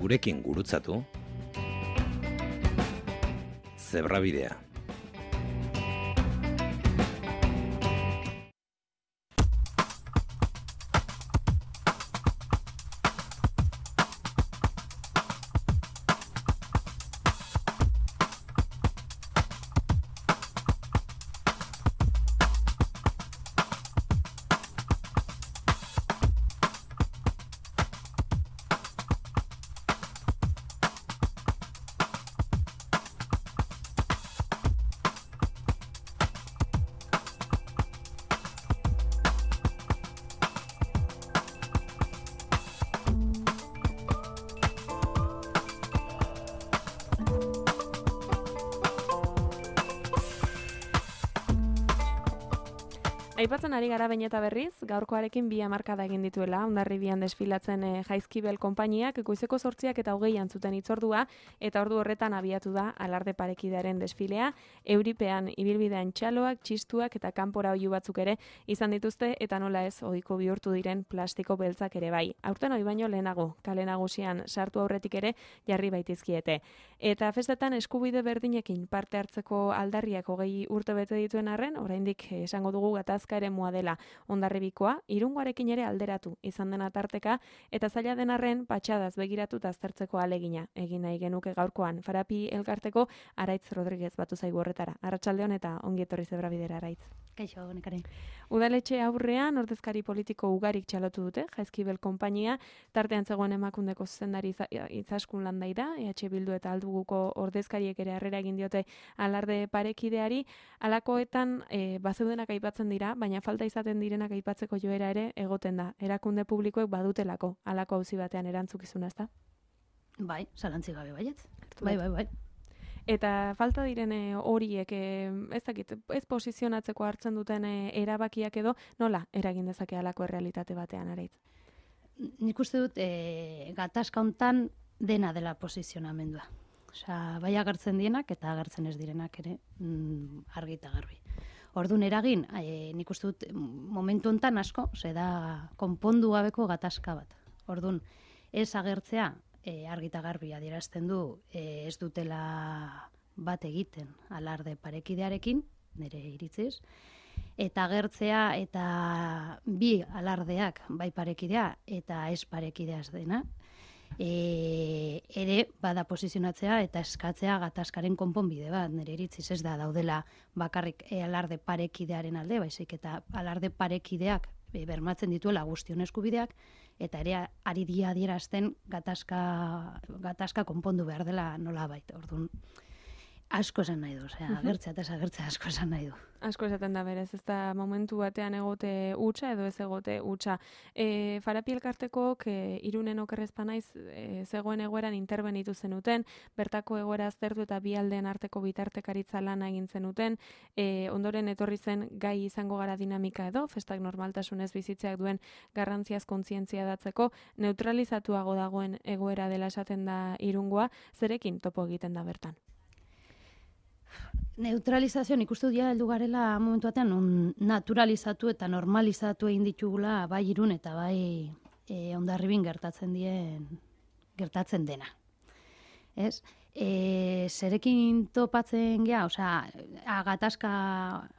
gurekin gurutzatu. Zebrabidea. Aipatzen ari gara behin eta berriz, gaurkoarekin 2 hamarkada egin dituela, Hondarribian desfilatzen Jaizkibel konpainiak, goizeko 8 eta 20 zuten hitzordua, eta ordu horretan abiatu da alarde parekidearen desfilea, euripean ibilbidean txaloak, txistuak eta kanpora oihu batzuk ere izan dituzte, eta nola ez ohiko bihurtu diren plastiko beltzak ere bai. Aurten hori baino lehenago, kale nagusian sartu aurretik ere jarri baitizkiete. Eta festetan eskubide berdinekin parte hartzeko aldarriak 20 urte bete dituen arren, oraindik esango dugu gatazka eremua dela Hondarribikoa, Irungoarekin ere alderatu izan dena tarteka, eta zaila den arren patxadaz begiratuta aztertzeko alegina egin nahi genuke gaurkoan. Farapi elkarteko Araitz Rodriguez batu zaigu horretara. Arratsaldeon eta ongi etorri Zebrabidera, Araitz. Kaixo, nekare. Udaletxe aurrean ordezkari politiko ugarik txalotu dute, Jaizkibel konpainia, tartean zegoen Emakundeko zuzendari Izaskun Landaida, EH Bildu eta Alduguko ordezkariek ere harrera egin diote alarde parekideari, halakoetan bazeudenak aipatzen dira, baina falta izaten direnak aipatzeko joera ere egoten da. Erakunde publikoek badutelako halako auzi batean erantzukizuna, ezta? Bai, zalantzi gabe baietz. Bai. Eta falta diren horiek, ez dakit, ez posizionatzeko hartzen duten erabakiak edo, nola eragin dezake halako errealitate batean, Araitz? Nik uste dut gatazka hontan dena dela posizionamendua. Osea, bai agertzen dienak eta agertzen ez direnak ere argi eta garbi. Orduan eragin, nik uste dut momentu hontan asko, da konpondu gabeko gatazka bat. Orduan, ez agertzea, argi eta garbi adierazten du ez dutela bat egiten alarde parekidearekin, nire iritziz, eta agertzea eta bi alardeak bai parekidea eta ez parekidea ez dena, ere bada posizionatzea eta eskatzea gatazkaren konponbide bat, nire iritziz ez da daudela bakarrik alarde parekidearen alde, baizik eta alarde parekideak bermatzen dituela guztion eskubideak, eta ere ari dia adierazten gatazka konpondu behar dela nolabait. Orduan, asko esan nahi du, agertzea eta agertzea asko esan nahi du. Asko esaten da berez, ez da momentu batean egote hutsa edo ez egote hutsa. Farapi elkartekok Irunen okerrezpa naiz zegoen egoeran interbenitu zenuten, bertako egoera aztertu eta bi aldeen arteko bitartekaritza lana egin zenuten, ondoren etorri zen gai izango gara dinamika edo, festak normaltasunez bizitzeak duen garrantziaz kontzientzia datzeko, neutralizatuago dagoen egoera dela esaten da Irungoa, zerekin topo egiten da bertan? Neutralizazio, nik uste dut heldu garela momentu batean naturalizatu eta normalizatu egin ditugula bai Irun eta bai Hondarribin gertatzen dena. Ez? Zerekin topatzen gea, gatazka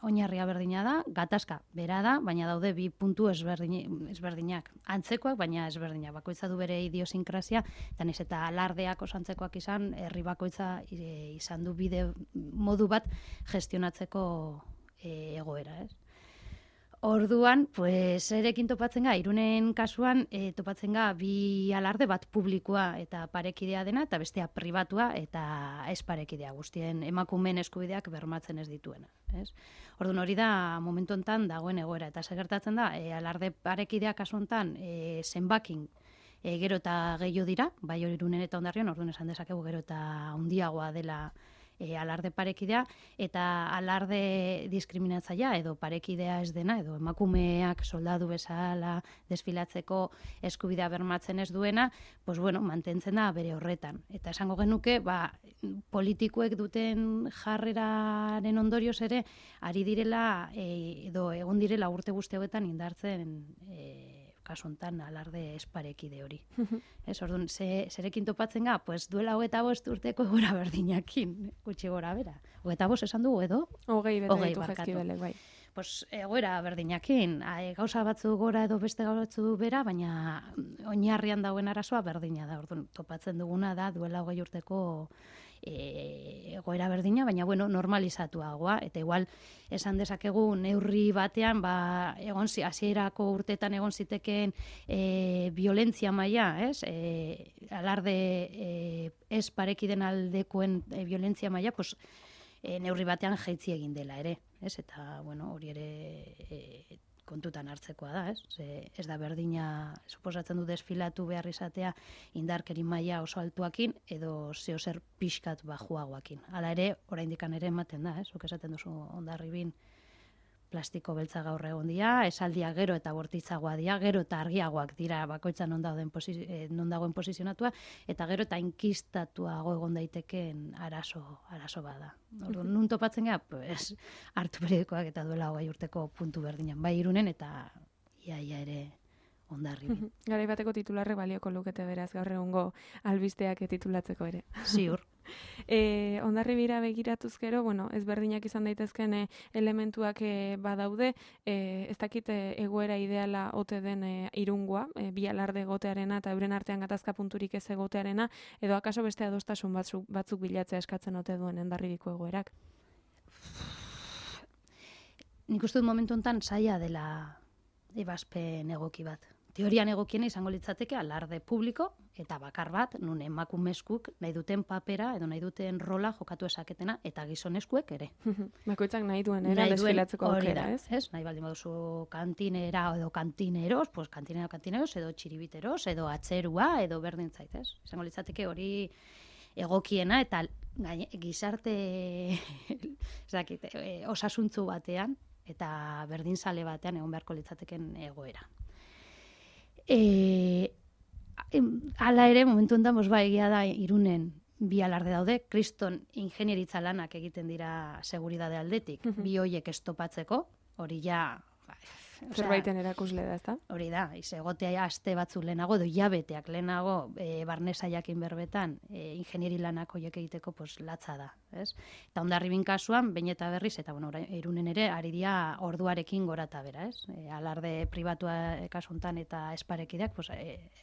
oinarria berdina da, gatazka bera da, baina daude bi puntu ezberdinak. Antzekoak, baina ezberdinak. Bakoitza du bere idiosinkrasia, eta naiz eta alardeak oso antzekoak izan, herri bakoitza izan du bide modu bat gestionatzeko egoera, ez? Orduan, erekin topatzen ga, Irunen kasuan topatzen ga bi alarde bat publikoa eta parekidea dena, eta bestea pribatua eta ez parekidea, guztien emakumeen eskubideak bermatzen ez dituena. Ez? Orduan hori da momentu hontan dagoen egoera, eta gertatzen da, alarde parekidea kasu hontan zenbakin gero eta gehiago dira, bai hori Irunen eta Hondarribian, orduan esan dezakegu gero eta handiagoa dela alarde parekidea, eta alarde diskriminatzailea edo parekidea ez dena, edo emakumeak soldadu bezala desfilatzeko eskubidea bermatzen ez duena, mantentzen da bere horretan. Eta esango genuke, politikoek duten jarreraren ondorioz ere, ari direla, edo egon direla urte guzti hauetan indartzen kasuntan alarde esparekide hori. Ez, orduan, zerekin topatzen ga, pues duela 25 urteko egoera berdinakin, gutxi gora bera. 25 esan dugu edo? 20 bete ditu barkatu. Jaizkibelek, bai. Pues egoera berdinakin, gauza batzu gora edo beste batzu bera, baina oinarrian dagoen arazoa berdina da. Orduan, topatzen duguna da duela 20 urteko egoera berdina, baina bueno, normalizatuagoa, eta igual esan dezakegu neurri batean, egon hasierako urteetan egon zitekeen violentzia maila, ez? Alarde ez parekiden aldekoen violentzia maila, pues neurri batean jaitsi egin dela ere, ez? Eta bueno, hori ere kontutan hartzekoa da, ez? Ez da berdina, suposatzen du desfilatu behar izatea indarkeri maila oso altuakin edo zeozer pixkat bajuagoakin. Hala ere, oraindikan ere ematen da, ez? Zuk esaten duzu Hondarribin plastiko beltza gaur egon dira, esaldia gero eta bortitzagoa dira, gero eta argiagoak dira bakoitza non dagoen posizionatua, eta gero eta inkistatuago egon daitekeen arazo bada. Orduan, nun topatzen gara, pues, hartu periodikoak eta duela 20 urteko puntu berdinan, bai Irunen eta ia ere Hondarribin. Garai bateko titularre balioko lukete beraz gaur egungo albisteak titulatzeko ere. Ziur. Hondarribira begiratuz gero, bueno, ezberdinak izan daitezken elementuak badaude, ez dakit egoera ideala ote den Irungoa, bi alarde egotearena eta euren artean gatazka punturik ez egotearena, edo akaso beste adostasun batzuk bilatzea eskatzen ote duen Hondarribiko egoerak? Nik uste dut momentu honetan zaila dela ebazpen egoki bat. Teorian egokiena izango litzateke alarde publiko eta bakar bat, nun emakumezkuk nahi duten papera edo nahi duten rola jokatu esaketena eta gizonezkuek ere. Bakoitzak nahi duen ere desfilatzeko aukera, ez? Nahi baldin baduzu kantinera edo kantineros, pues kantineros edo txiribiteros edo atzerua edo berdin zait, ez? Izango litzateke hori egokiena eta gizarte osasuntzu batean eta berdinzale batean egon beharko litzateken egoera. Hala ere, momentu enten, egia da Irunen bi alarde daude, kriston ingenieritza lanak egiten dira seguridade aldetik, bi hoiek estopatzeko, hori ja... Zerbaiten erakusle da, ezta? Hori da, egotea aste batzu lehenago, edo jabeteak lehenago, barnesa jakin berbetan, ingenieri lanak horiek egiteko latza da, ez? Eta Hondarribin kasuan, behin eta berriz, eta bueno, Irunen ere, ari dira orduarekin gora eta bera, ez? Alarde pribatua kasuntan eta esparekideak,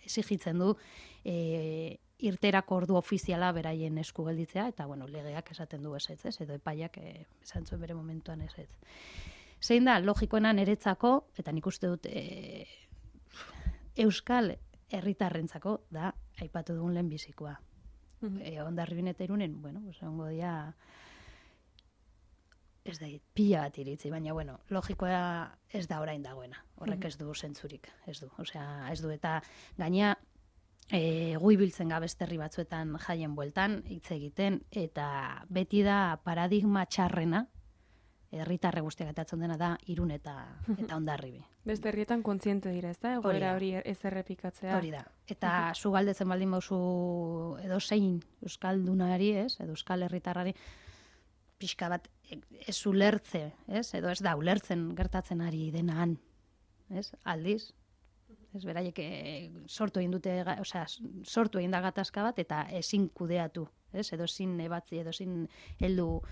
exigitzen du irterako ordu ofiziala beraien esku gelditzea, eta bueno, legeak esaten du ezetz, ez? Edo epaiak esan zuen bere momentuan ezetz. Zein da, logikoena niretzako, eta nik uste dut Euskal herritarrentzako da, aipatu dugun lehenbizikoa. Hondarribin eta Irunen, bueno, egongo dira, ez da, pila bat iritzi, baina, bueno, logikoa ez da orain dagoena. Horrek ez du zentzurik, ez du. Osea, ez du, eta gaina, gu ibiltzen gabeste herri batzuetan jaien bueltan, hitz egiten, eta beti da paradigma txarrena, herritarre guztiak atatzen dena da Irun eta Hondarribi. Beste herrietan kontziente dira, ez da? Egoera hori ez errepikatzea. Hori da. Eta zu galdetzen baldin bauzu edo zein euskaldunari, ez? Edo euskal herritarrari pixka bat ez ulertze, ez? Edo ez da ulertzen gertatzen ari denan, ez? Aldiz. Ez beraiek sortu egin dute, osea, sortu egin da gatazka bat eta ezin kudeatu, ez? Edo ezin ebatzi, edo ezin heldu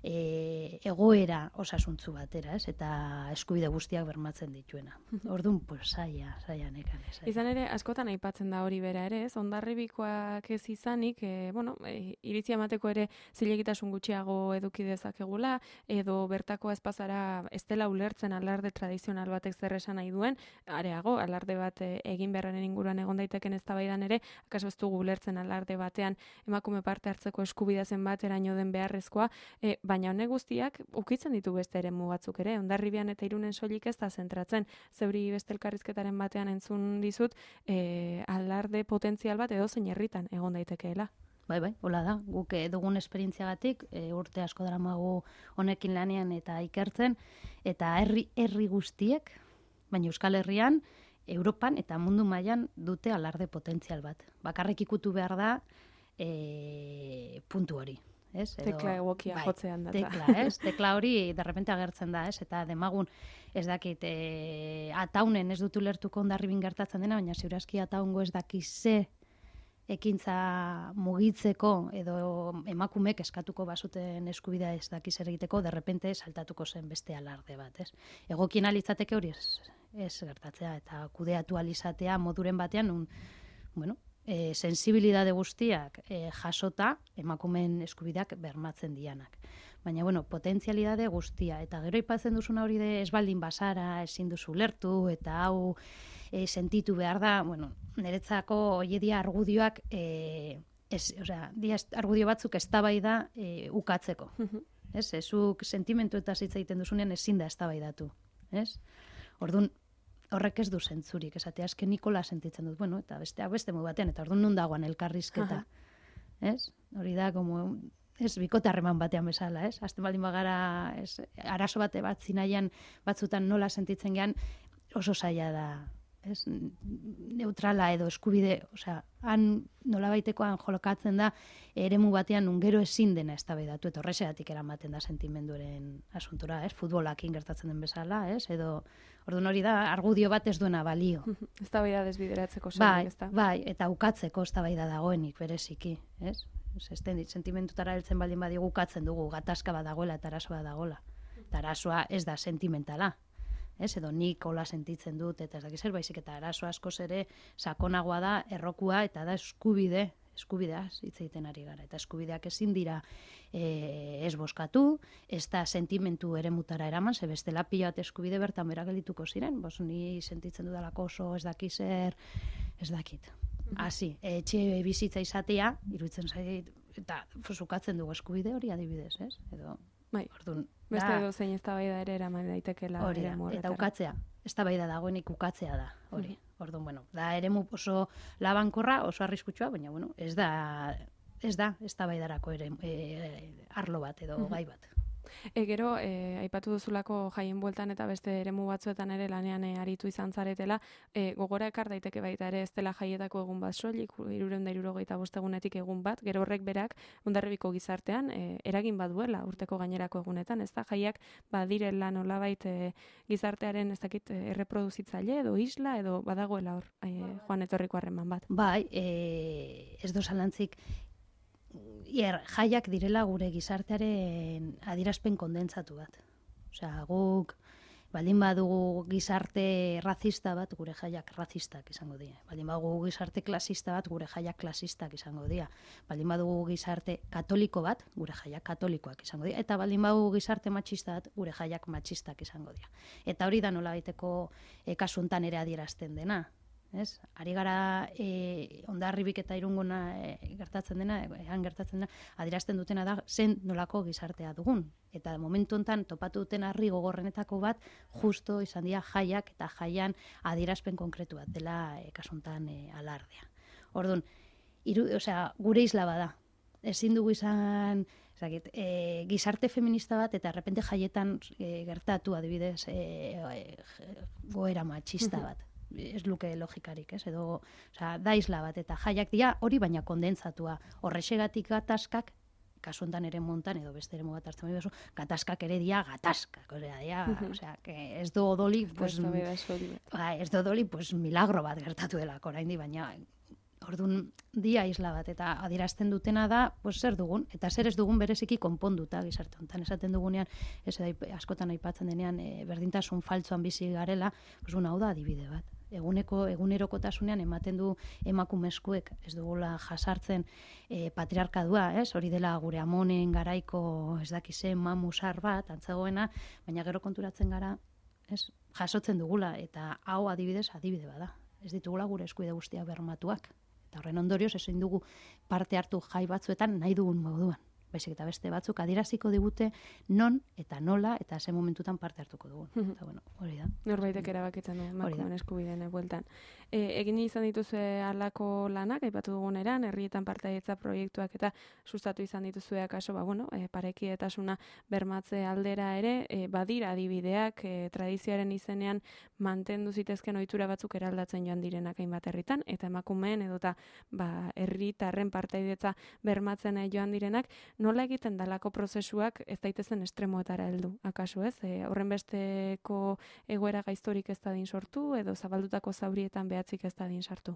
egoera osasuntzu batera, ez? Eta eskubide guztiak bermatzen dituena. Orduan, pues, saia nekan. Izan ere, askotan aipatzen da hori bera ere, ez? Hondarribikoak ez izanik, iritzi emateko ere zilegitasun gutxiago eduki dezakegula, edo bertako espazara ez dela ulertzen alarde tradizional batek zer esan nahi duen, areago, alarde bat egin beharren inguruan egon daiteken eztabaidan ere, akaso ez dugu ulertzen alarde batean emakume parte hartzeko eskubidea zenbateraino den beharrezkoa, baina honek guztiak ukitzen ditu beste eremu batzuk ere. Hondarribian eta Irunen soilik ez da zentratzen. Zeuri beste elkarrizketaren batean entzun dizut, alarde potentzial bat edozein herritan egon daitekeela. Bai, hola da. Guk dugun esperientziagatik urte asko daramagu honekin lanean eta ikertzen, eta herri guztiek, baina Euskal Herrian, Europan eta mundu mailan dute alarde potentzial bat. Bakarrik ikutu behar da puntu hori. ez? Tekla egokia jotzean datza. Tekla, ez? Tekla hori derrepente agertzen da, ez? Eta demagun, ez dakit, ataunen ez dut ulertuko Hondarribin gertatzen dena, baina ziurazki ataungo ez dakize ekintza mugitzeko edo emakumek eskatuko bazuten eskubidea ez dakiz egiteko, derrepente saltatuko zen beste alarde bat, ez? Egokien alitzateke hori ez gertatzea, eta kudeatu alizatea moduren batean, sensibilidade guztiak jasota emakumeen eskubideak bermatzen dianak. Baina, potentzialidade guztia, eta gero aipatzen duzuna hori de ez baldin bazara, ezin duzu lertu, eta hau sentitu behar da, niretzako hori dia argudioak, argudio batzuk eztabaida ukatzeko. Ez, zuk sentimentu eta hitz egiten duzunean ezin da eztabaidatu. Ez? Orduan, horrek ez du zentzurik, esatea azken Nikola sentitzen dut, eta beste modu batean, eta orduan non dagoan elkarrizketa. Ez? Hori da, bikote harreman batean bezala, ez? Azten baldin bagara, arazo bat zinaian batzutan nola sentitzen gean, oso zaila da, ez? Neutrala edo eskubide, han nolabaitekoan jolokatzen da, eremu batean gero ezin dena eztabaidatu, eta horrexegatik eramaten da sentimenduaren asuntora, ez? Futbolakin gertatzen den bezala, ez? Edo, orduan hori da, argudio bat ez duena balio. Eztabaida desbideratzeko zen, ez da? Bai, eta ukatzeko eztabaida dagoenik bereziki, ez? Sentimentutara heltzen baldin badigu ukatzen dugu, gatazka bat dagoela eta arazoa dagoela. Eta arazoa ez da sentimentala. Ez, edo nik hola sentitzen dut, eta ez dakiz zer baizik, eta arazo askoz ere sakonagoa da, errokua, eta da eskubideaz hitz egiten ari gara. Eta eskubideak ezin dira ez boskatu, ez da sentimentu eremutara eraman, ze bestela pila bat eskubide bertan bera geldituko ziren, ni sentitzen dudalako oso ez dakiz zer, ez dakit. Hasi, etxe bizitza izatea, iruditzen zait, eta fusukatzen dugu eskubide hori adibidez, ez? Edo, orduan, beste edo zein eztabaida ere eraman daitekela. Hori da, eta ukatzea, eztabaida dagoenik ukatzea da, hori. Orduan, da eremu oso labankorra, oso arriskutsua, baina, ez da eztabaidarako ere arlo bat edo gai bat. Gero, aipatu duzulako jaien bueltan eta beste eremu batzuetan ere lanean aritu izan zaretela, gogora ekar daiteke baita ere ez dela jaietako egun bat soilik, 365 egunetik egun bat, gero horrek berak Hondarribiko gizartean eragin baduela urteko gainerako egunetan, ez da jaiak badirela nolabait gizartearen ez dakit erreproduzitzaile edo isla edo badagoela hor joan etorriko harreman bat. Bai, ez do zalantzik, jaiak direla gure gizartearen adierazpen kondentsatu bat. Guk baldin badugu gizarte razista bat, gure jaiak razistak izango dira. Baldin badugu gizarte klasista bat, gure jaiak klasistak izango dira. Baldin badugu gizarte katoliko bat, gure jaiak katolikoak izango dira. Eta baldin badugu gizarte matxista bat, gure jaiak matxistak izango dira. Eta hori da nolabaiteko kasu hontan ere adierazten dena. Ez? Ari gara Hondarribik eta Irungona gertatzen dena, adierazten dutena da zen nolako gizartea dugun. Eta momentu hontan topatu duten harri gogorrenetako bat justo izan dira jaiak eta jaian adierazpen konkretu bat dela kasu hontan alardea. Orduan, gure isla bada. Ezin dugu izan gizarte feminista bat eta errepente jaietan gertatu adibidez goera matxista bat. Ez luke logikarik, ez? Edo, da isla bat eta jaiak dira hori baina kondentsatua. Horrexegatik gatazkak, kasu hontan ere montan edo beste ere bat hartzen baina gatazkak ere dira gatazkak. Ez do odoli, milagro bat gertatu delako oraindik, baina orduan dia isla bat eta adierazten dutena da, zer dugun, eta zer ez dugun bereziki konponduta gizarte hontan. Esaten dugunean, askotan aipatzen denean, berdintasun faltsuan bizi garela, hau da adibide bat. Egunerokotasunean ematen du emakumezkoek ez dugula jasartzen patriarkadua, hori dela gure amonen garaiko ez dakizen mamusar bat, antzegoena, baina gero konturatzen gara, jasotzen dugula, eta hau adibide bada. Ez ditugula gure eskuide guztia bermatuak. Eta horren ondorioz ezin dugu parte hartu jai batzuetan nahi dugun moduan. Baizik eta beste batzuk adieraziko digute non eta nola eta ze momentutan parte hartuko dugun. Eta hori da. Norbaitek erabakitzen du emakumeen eskubideen bueltan. Egin izan dituzue halako lanak, aipatu duguneran, herrietan partaidetza proiektuak eta sustatu izan dituzue akaso, parekidetasuna bermatze aldera ere, badira adibideak, tradizioaren izenean mantendu zitezken ohitura batzuk eraldatzen joan direnak hainbat herritan, eta emakumeen edota herritarren partaidetza bermatzen joan direnak, nola egiten dalako prozesuak ez daitezen estremoetara heldu, akaso ez? Horren besteko egoera gaiztorik ez dadin sortu, edo zabaldutako zaurietan behatzik ez dadin sartu?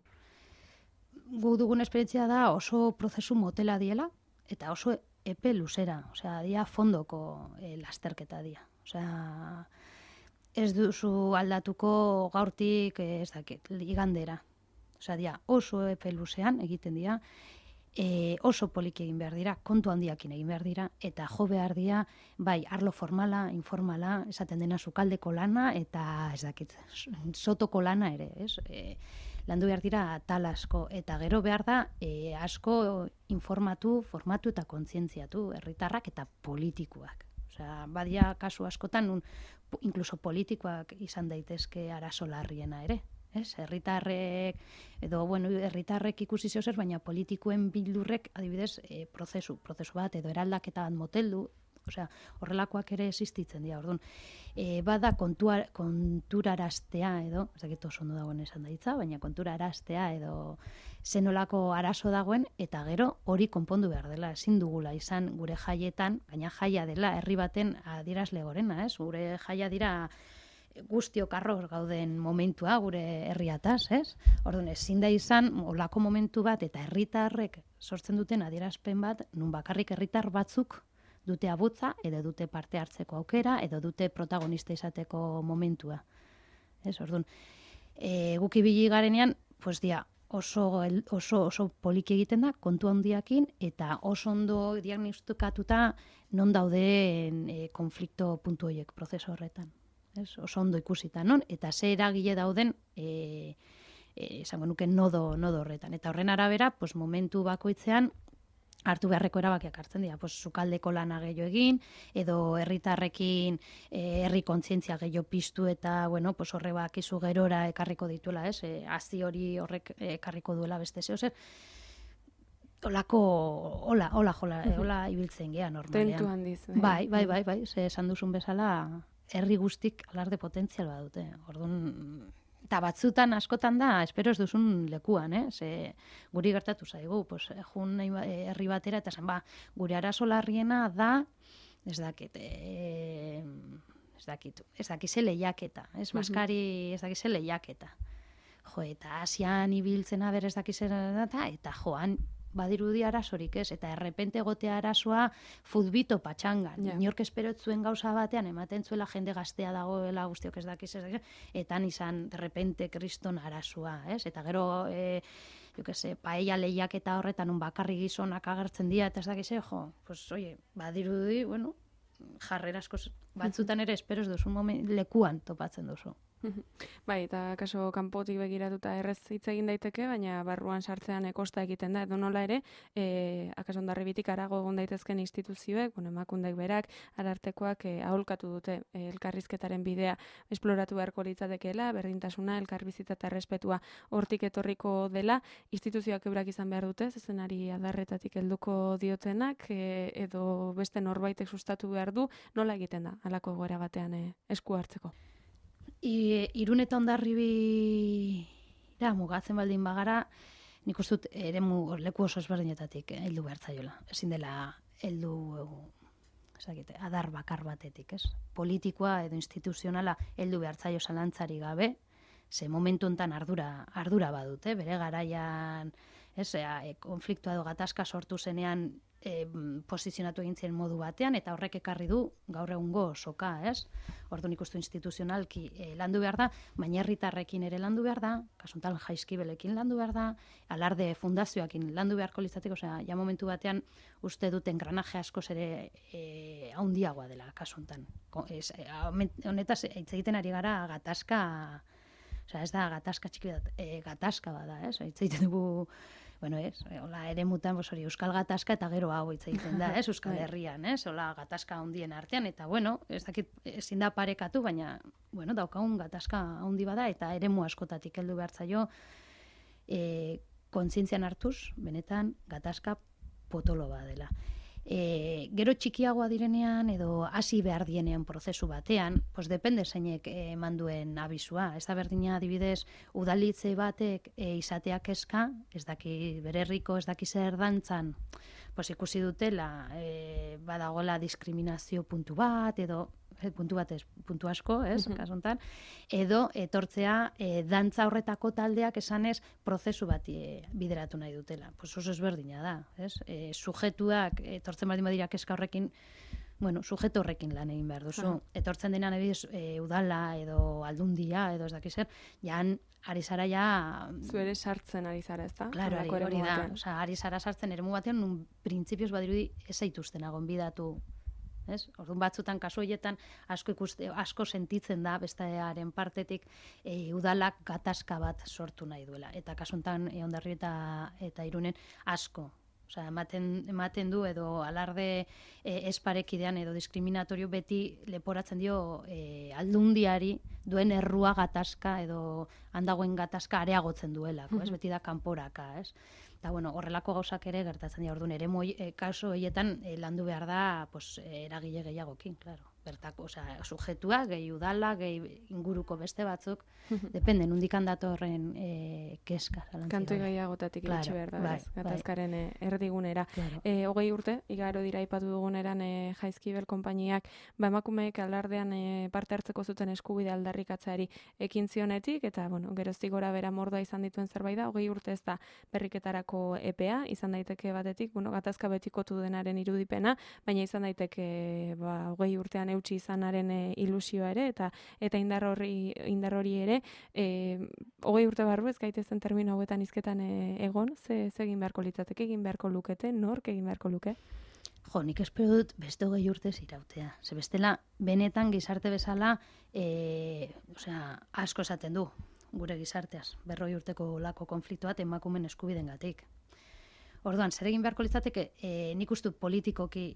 Gu dugun esperientzia da oso prozesu motela diela, eta oso epe luzera, osea, dia fondoko lasterketa dia. Osea, ez duzu aldatuko gaurtik, ez dakit, igandera. Osea, dia oso epe luzean egiten dira, oso poliki egin behar dira, kontu handiakin egin behar dira, eta jo behar dira, bai, arlo formala, informala, esaten dena sukaldeko lana, eta ez dakit, sotoko lana ere, ez? Landu behar dira tal asko, eta gero behar da asko informatu, formatu eta kontzientziatu herritarrak eta politikoak. Osea, badia kasu askotan, inkluso politikoak izan daitezke arazo larriena ere. Herritarrek, edo, herritarrek ikusi zer, baina politikoen bildurrek, adibidez, prozesu bat, edo eraldaketa bat moteldu, osea, horrelakoak ere existitzen dira, orduan. Bada konturaraztea, edo, ez dakit oso ondo dagoen esan daitza, baina konturaraztea, edo, zenolako arazo dagoen, eta gero hori konpondu behar dela, ezin dugula izan gure jaietan, gaina jaia dela, herri baten adierazle gorena, ez? Gure jaia dira guztiok arroz gauden momentua gure herriataz, ez? Orduan, ezin da izan olako momentu bat eta herritarrek sortzen duten adierazpen bat, nun bakarrik herritar batzuk dute abutza, edo dute parte hartzeko aukera, edo dute protagonista izateko momentua. Ez, orduan, guk ibili garenean, pues dia, oso poliki egiten da, kontu handiakin, eta oso ondo diagnostikatuta non dauden konflikto puntu horiek prozesu horretan. Oso ondo ikusita, non? Eta ze eragile dauden, esango nuke nodo horretan. Eta horren arabera, pues, momentu bakoitzean, hartu beharreko erabakiak hartzen dira. Pues, sukaldeko lana gehiago egin, edo herritarrekin herri kontzientzia gehiago piztu, eta, pues, horre bakizu gerora ekarriko dituela, ez? Hazi hori horrek ekarriko duela beste zeo zer. Hola ibiltzen gea normalean. Tentu handiz. Bai, ze esan duzun bezala, herri guztik alarde potentzial badute. Orduan, eta batzutan askotan da, espero ez duzun lekuan, ze guri gertatu zaigu, pues, jun herri batera, eta zen, gure arazo larriena da, ez dakit ze lehiaketa, maskari ez dakit ze lehiaketa. Jo, eta Asian ibiltzena ber ez dakit zer eta joan, badirudi arazorik ez, eta errepente egotea arazoa futbito patxangan. Inork esperotzuen gauza batean, ematen zuela jende gaztea dagoela, guztiok ez dakiz, eta izan errepente kriston arazoa, ez? Eta gero, paella lehiak eta horretan un bakarri gizonak agertzen dira, eta ez dakiz, pues, badirudi, jarrera asko batzutan ere esperoz duzun lekuan topatzen duzu. Bai, eta kaso kanpotik begiratuta errez hitz egin daiteke, baina barruan sartzean kosta egiten da, edo nola ere, akaso Hondarribitik harago egon daitezken instituzioek, emakundek berak, arartekoak aholkatu dute elkarrizketaren bidea esploratu beharko litzatekeela, berdintasuna, elkarbizitza eta errespetua hortik etorriko dela, instituzioak eurak izan behar dute, zezenari adarretatik helduko diotenak, edo beste norbaitek sustatu behar du, nola egiten da, halako egoera batean esku hartzeko. Irun eta Hondarribira mugatzen baldin bagara, nik uste dut eremu leku oso ezberdinetatik heldu behar zaiola. Ezin dela heldu adar bakar batetik, ez? Politikoa edo instituzionala heldu behar zaio zalantzari gabe, ze momentu hontan ardura badute, bere garaian, konfliktoa edo gatazka sortu zenean posizionatu egin ziren modu batean, eta horrek ekarri du gaur egungo soka, ez? Orduan ikustu instituzionalki landu behar da, baina herritarrekin ere landu behar da, kasuntal Jaizkibelekin landu behar da, alarde fundazioakin landu beharko litzateko, ja momentu batean uste duten granaje askoz ere haundiagoa dela kasuntan. Honetaz, hitz egiten ari gara gatazka, ez da gatazka txiki bat, gatazka bada, ez? Hitz egiten dugu bueno, hola, ere mutan, hori, Euskal Gatazka eta gero hau hitz egiten da, Euskal Herrian, hola, gatazka handien artean, eta, bueno, ez dakit, ezin da parekatu, baina, bueno, daukagun gatazka handi bada, eta eremu askotatik heldu behar zaio, kontzientzian hartuz, benetan, gatazka potolo bat dela. Gero txikiagoa direnean edo hasi behar dienean prozesu batean, pues depende zeinek eman duen abizua. Ez da berdina adibidez udalitze batek izateak kezka, ez daki bere herriko, ez daki zer dantzan, pues ikusi dutela badagola diskriminazio puntu bat, edo puntu bat ez, puntu asko, kasu honetan, edo etortzea dantza horretako taldeak esanez prozesu bat bideratu nahi dutela. Pues oso ezberdina da, sujetuak etortzen baldin badira kezka horrekin, bueno, sujeto horrekin lan egin behar duzu. Etortzen denean ebiz udala edo aldundia edo ez dakiz zer, jan ari zara ja... Zuere sartzen ari zara, ez da? Claro, hori da. Ari zara sartzen eremu batean, nun printzipioz badirudi ez zaituzten gonbidatu. Orduan batzutan kasu horietan asko sentitzen da bestearen partetik udalak gatazka bat sortu nahi duela. Eta kasu honetan Hondarribia eta Irunen asko. Osea, ematen du edo alarde esparekidean edo diskriminatorio beti leporatzen dio aldundiari duen errua gatazka edo handagoen gatazka areagotzen duelako, beti da kanporaka, Eta, bueno, horrelako gauzak ere gertatzen dira, orduan, ere kaso horietan landu behar da eragile gehiagokin, claro. Bertako, sujetua, gehi udala, gehi inguruko beste batzuk, depende, nundikan datorren keska. Kantu gehiagotatik iritsi behar da, gatazkaren erdigunera. 20 urte, igaro dira ipatu duguneran Jaizkibel konpainiak, emakumeek alardean parte hartzeko zuten eskubide aldarrikatzeari ekin zionetik, eta, bueno, geroztik gora bera mordoa izan dituen zerbait da, 20 urte ez da berriketarako epea, izan daiteke batetik, bueno, gatazka betikotu denaren irudipena, baina izan daiteke 20 urtean eutsi izanaren ilusioa ere, eta indar hori ere, 20 urte barru ez gaitezen termino hauetan hizketan egon, ze egin beharko litzateke, egin beharko lukete, nork egin beharko luke? Jo, nik espero dut beste 20 urtez irautea. Ze bestela, benetan gizarte bezala, asko esaten du, gure gizarteaz, 40 urteko olako konfliktuat emakumen eskubidengatik. Orduan, zer egin beharko litzateke, nik uste politikoki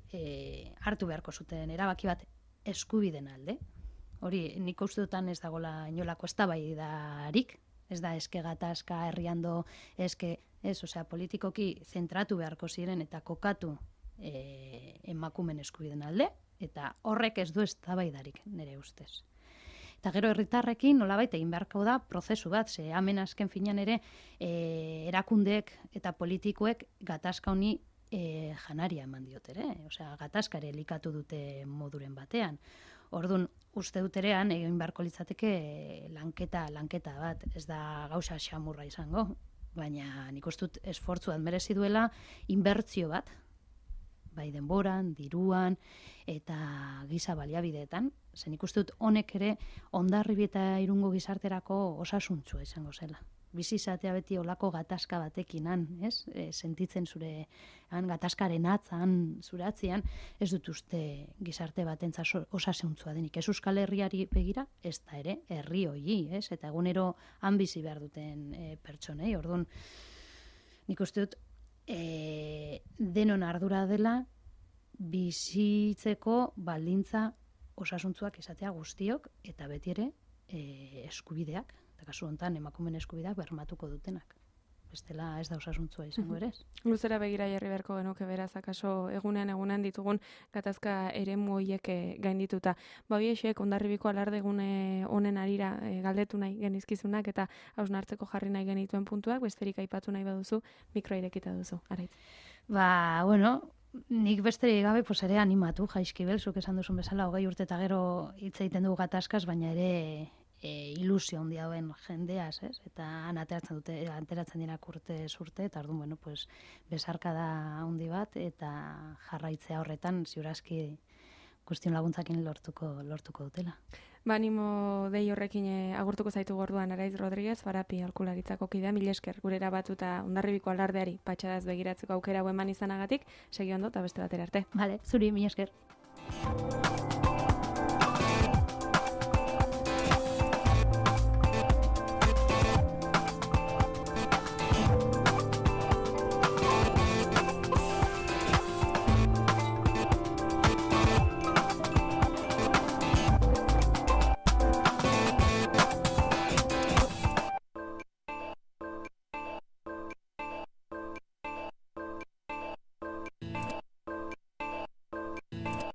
hartu beharko zuten erabaki bat eskubiden alde. Hori, nik uste dutan ez dagoela inolako eztabaidarik, ez da eske gatazka herriando, politikoki zentratu beharko ziren eta kokatu emakumen eskubiden alde, eta horrek ez du eztabaidarik nire ustez. Eta gero herritarrekin nolabait egin beharko da prozesu bat, ze hemen azken finean ere erakundeek eta politikoek gatazka honi janaria eman diotere, gatazka ere elikatu dute moduren batean. Orduan, uste duterean egin beharko litzateke lanketa bat, ez da gauza xamurra izango, baina nik uste dut esfortzu bat merezi duela inbertsio bat, bai denboran, diruan eta giza baliabideetan, zen ikuste dut honek ere Hondarribia eta Irungo gizarterako osasuntsua izango zela. Bizi izatea beti olako gatazka batekin sentitzen zure gatazkaren atzan, zure atzian, ez dut uste gizarte batentza osasuntsua denik. Ez Euskal Herriari begira, ez da ere herri hori, eta egunero han bizi behar duten pertsonei. Orduan, nik uste dut denon ardura dela bizitzeko baldintza osasuntzuak izatea guztiok eta beti ere eskubideak, eta kasu honetan emakumeen eskubideak bermatuko dutenak. Bestela ez da osasuntzua izango ere. Luzera begira jarri beharko genuke beraz, akaso egunean ditugun gatazka eremu horiek gaindituta. Hoiexek Hondarribiko alardegune honen arira galdetu nahi genizkizunak eta hausnartzeko jarri nahi genituen puntuak, besterik aipatu nahi baduzu, mikroa irekita duzu. Araitz. Nik besterik gabe ere animatu, Jaizkibel, zuk esan duzun bezala, 20 urte eta gero hitz egiten dugu gatazkaz, baina ere ilusio handia duen jendeaz, eta han ateratzen dira urtez urte, eta orduan, besarkada handi bat, eta jarraitzea horretan, ziurazki guztion laguntzakin lortuko dutela. Animo dei horrekin agurtuko zaitu gorduan Araiz Rodríguez, Farapi aholkularitzako kidea, mila esker gurera batuta Hondarribiko alardeari patxadaz begiratzeko aukera eman izanagatik, segi ondo eta beste batera arte. Vale, zuri, mila esker.